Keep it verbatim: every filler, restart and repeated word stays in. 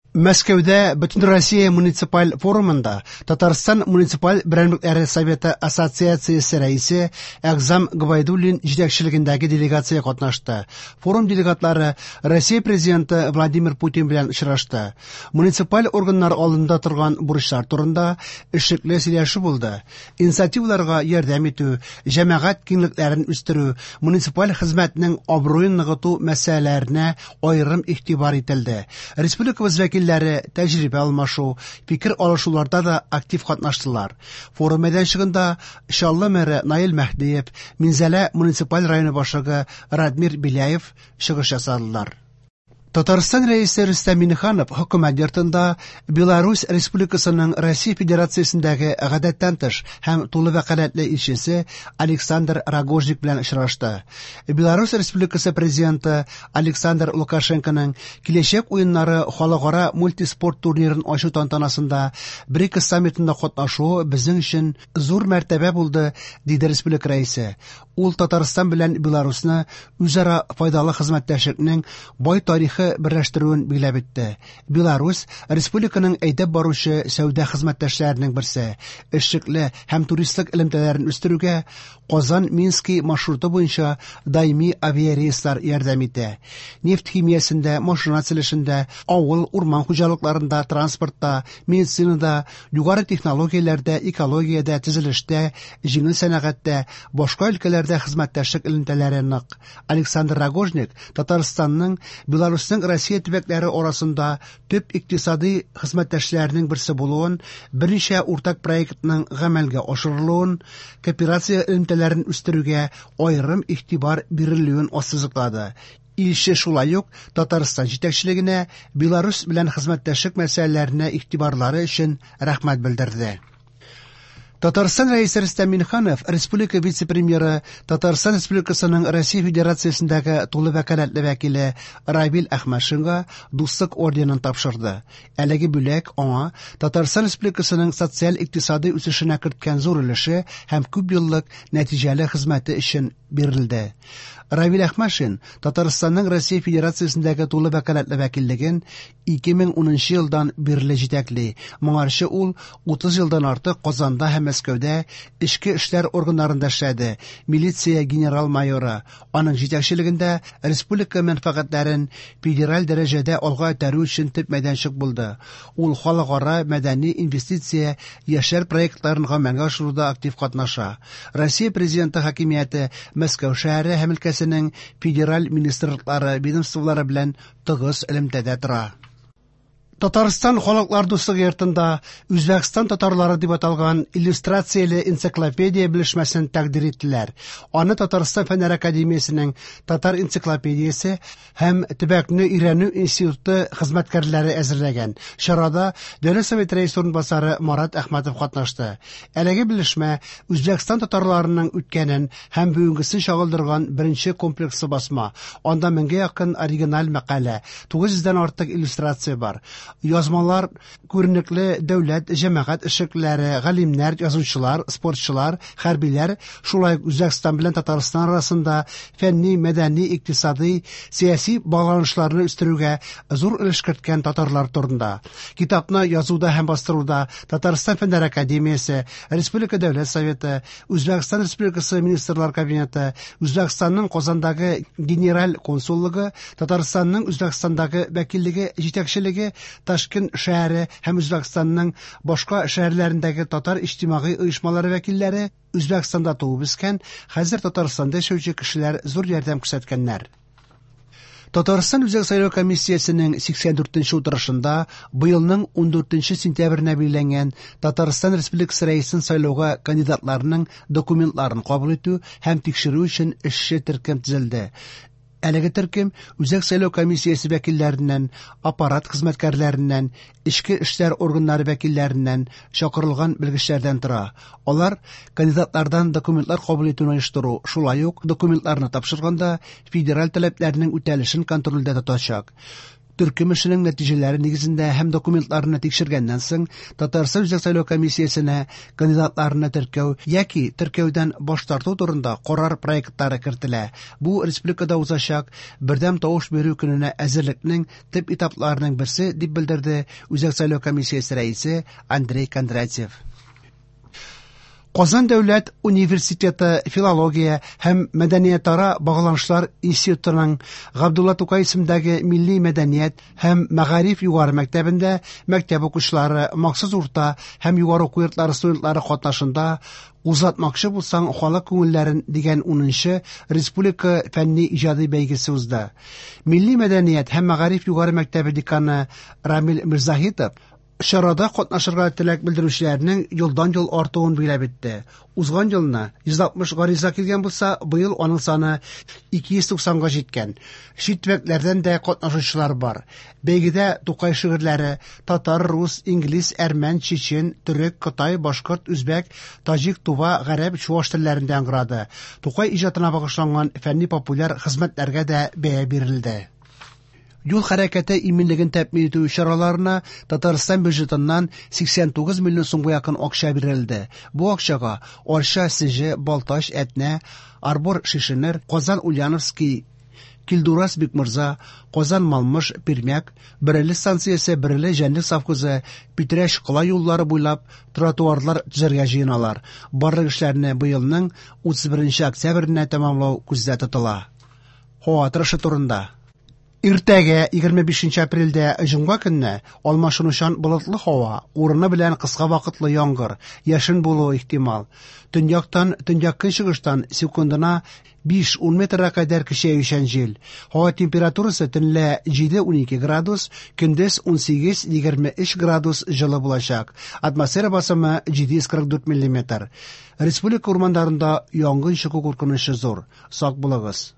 Мәскәүдә Бөтенроссия муниципаль форумында Татарстан муниципаль берәмлекләре советы ассоциациясе рәисе Әгъзам Гобәйдуллин җитәкчелегендәге делегация катнашты. Форум делегатлары Россия Президенты Владимир Путин белән очрашты. Муниципаль органнар алдында торган бурычлар турында эшлекле сөйләшү булды. Инициативаларга ярдәм итү, җәмәгать киңлекләрен үстерү, муниципаль хезмәтнең абруен ныгыту мәсьәләләренә аерым игътибар ителде. Республикабыз вәкилләре тәҗрибә алмашу, фикер алышуларда да актив катнаштылар. Форум мәйданчыгында Чаллы мэры Наил Мәһдиев, Минзәлә муниципаль районы башлыгы Радмир Беляев чыгыш ясадылар. Татарстан Рәисе Рөстәм Миңнеханов хөкүмәт йортында Беларусь Республикасының Россия Федерациясендәге гадәттән тыш һәм тулы вәкаләтле илчесе Александр Рогожник белән очрашты. Беларусь Республикасы президенты Александр Лукашенконың Киләчәк уеннары халыкара мультиспорт турнирын ачу тантанасында БРИКС саммитында катнашуы безнең өчен зур мәртәбә булды, диде республика рәисе. Ул Татарстан белән Беларусьны үзара файдалы хезмәттәшлекнең бай тарихы берләштерүен билгеләп үтте. Беларусь республиканың әйдәп баручы сәүдә хезмәттәшләренең берсе. Эшлекле һәм туристлык элемтәләрен үстерүгә Казан-Мински маршруты буенча даими авиарейслар ярдәм итә. Нефть химиясендә, машина төзелешендә, авыл, урман хуҗалыкларында, транспортта, медицинада, югары технологияләрдә, экологиядә, төзелештә, җиңел сәнәгатьтә, башка өлкәләрдә хезмәттәшлек элемтәләре нык. Александр Рогожник Татарстанның Беларусьның Россия төбәкләре арасында төп икътисади хезмәттәшләренең берсе булуын, берничә уртак проектның гамәлгә ашырылуын, кооперация элемтәләрен үстерүгә аерым игътибар бирелүен ассызыклады. Илче шулай ук Татарстан җитәкчелегенә Беларусь белән хезмәттәшлек мәсьәләләренә игътибарлары өчен рәхмәт белдерде. Татарстан Рәисе Рөстәм Миңнеханов, республика вице-премьеры, Татарстан Республикасының Россия Федерациясендәге тулы вәкаләтле вәкиле Равил Әхмәтшинга Дуслык орденын тапшырды. Әлеге бүләк аңа Татарстан Республикасының социаль-икътисади үсешенә керткән зур өлеше һәм күп еллык нәтиҗәле хезмәте өчен бирелде. Равил Әхмәтшин Татарстанның Россия Федерациясендәге тулы вәкаләтле вәкиллеген ике мең унынчы елдан бирле җитәкли. Моңарчы ул утыз елдан артык Казанда һәм Мәскәүдә эчке эшләр органнарында эшләде. Милиция генерал-майоры. Аның җитәкчелегендә республика мәнфәгатьләрен федераль дәрәҗәдә алга этәрү өчен төп мәйданчык булды. Ул халыкара мәдәни инвестиция яшьләр проектларын гамәлгә ашыруда актив катнаша. Россия Президенты хакимияте Мәскәү шәһәре һәм өлкәсенең федераль министрлыклары, ведомстволары белән тыгыз элемтәдә тора. Татарстан Халыклар дуслыгы йортында Үзбәкстан татарлары дип аталган иллюстрацияле энциклопедия белешмәсен тәкъдир иттеләр. Аны Татарстан Фәннәр академиясенең Татар энциклопедиясе һәм төбәкне өйрәнү институты хезмәткәрләре әзерләгән. Чарада Дәүләт Советы рәисе урынбасары Марат Әхмәтов катнашты. Әлеге белешмә Үзбәкстан татарларының үткәнен һәм бүгенгесен чагылдырган беренче комплекслы басма. Анда меңгә якын оригиналь мәкалә, тугыз йөздән артык иллюстрация бар. Язмалар күренекле дәүләт, җәмәгать эшлеклеләре, галимнәр, язучылар, спортчылар, хәрбиләр, шулай ук Үзбәкстан белән Татарстан арасында фәнни, мәдәни, икътисади, сәяси багланышларны үстерүгә зур өлеш керткән татарлар турында. Китапны язуда һәм бастыруда Татарстан Фәннәр академиясе, Республика Дәүләт Советы, Үзбәкстан Республикасы Министрлар Кабинеты, Үзбәкстанның Казандагы Генераль консуллыгы, Татарстанның Үзбәкстандагы вәкиллеге җитәкчелеге, Ташкент шәһәре һәм Үзбәкстанның башка шәһәрләрендәге татар иҗтимагый оешмалары вәкилләре, Үзбәкстанда туып үскән, хәзер Татарстанда яшәүче кешеләр зур ярдәм күрсәткәннәр. Татарстан Үзәк сайлау комиссиясенең сиксән дүртенче утырышында быелның ундүртенче сентябренә билгеләнгән Татарстан Республикасы Рәисен сайлауга кандидатларның документларын кабул итү һәм тикшерү өчен эшче төркем төзелде. Әлеге төркем Үзәк сайлау комиссиясе вәкилләреннән, аппарат хезмәткәрләреннән, эчке эшләр органнары вәкилләреннән чакырылган белгечләрдән тора. Алар кандидатлардан документлар кабул итүне оештыру, шулай ук документларны тапшырганда федераль таләпләрнең үтәлешен контрольдә тотачак. Төркем эшенең нәтиҗәләре нигезендә һәм документларны тикшергәннән соң Татарстан Үзәк сайлау комиссиясенә кандидатларны теркәү яки теркәүдән баш тарту турында карар проектлары кертелә. Бу республикада узачак бердәм тавыш бирү көненә әзерлекнең төп этапларының берсе, дип белдерде Үзәк сайлау комиссиясе рәисе Андрей Кондратьев. Казан дәүләт университеты филология һәм мәдәниятара багланышлар институтының Габдулла Тукай исемендәге милли мәдәният һәм мәгариф югары мәктәбендә мәктәп укучылары, махсус урта һәм югары уку йортлары студентлары катнашында "Кузгатмакчы булсаң халык күңелләрен" дигән унынчы республика фәнни иҗади бәйгесе узды. Милли мәдәният һәм мәгариф югары мәктәбе деканы Рамил Мирзаһитов чарада катнашырга теләк белдерүчеләрнең елдан-ел артуын билгеләп үтте. Узган елны йөз алтмыш гариза килгән булса, быел аның саны ике йөз туксанга җиткән. Чит төбәкләрдән дә катнашучылар бар. Бәйгедә Тукай шигырьләре татар, рус, инглиз, әрмән, чечен, төрек, кытай, башкорт, үзбәк, таҗик, тува, гарәп, чуаш телләрендә яңгырады. Тукай иҗатына багышланган фәнни-популяр хезмәтләргә дә бәя бирелде. Юл хәрәкәте иминлеген тәэмин итү чараларына Татарстан бюджетыннан сиксән тугыз миллион сумга якын акча бирелде. Бу акчага Арча, Сеҗе, Балтач, Әтнә, Арбор, Шешенер, Казан, Ульяновский, Килдураз, Бикмурза, Казан, Малмыж, Пермяк, Бөреле станциясе, Бөреле җәнлек совхозы, Питрәч кала юллары буйлап тротуарлар төзергә җыеналар. Барлык эшләрне быелның утыз беренче октябренә тәмамлау күздә тотыла. Һава торышы турында. Иртәгә егерме бишенче апрельдә җомга көнне алмашынучан болытлы һава, урыны белән кыска вакытлы яңгыр, яшен булуы ихтимал. Төньяктан, төньяк-көнчыгыштан секундына биш-ун метрга кадәр көчәючән җил. Һава температурасы төнлә җиде-унике градус, көндез унсигез-егерме өч градус җылы булачак. Атмосфера басымы җиде йөз кырык дүрт миллиметр. Республика урманнарында янгын чыгу куркынычы зур. Сак булыгыз.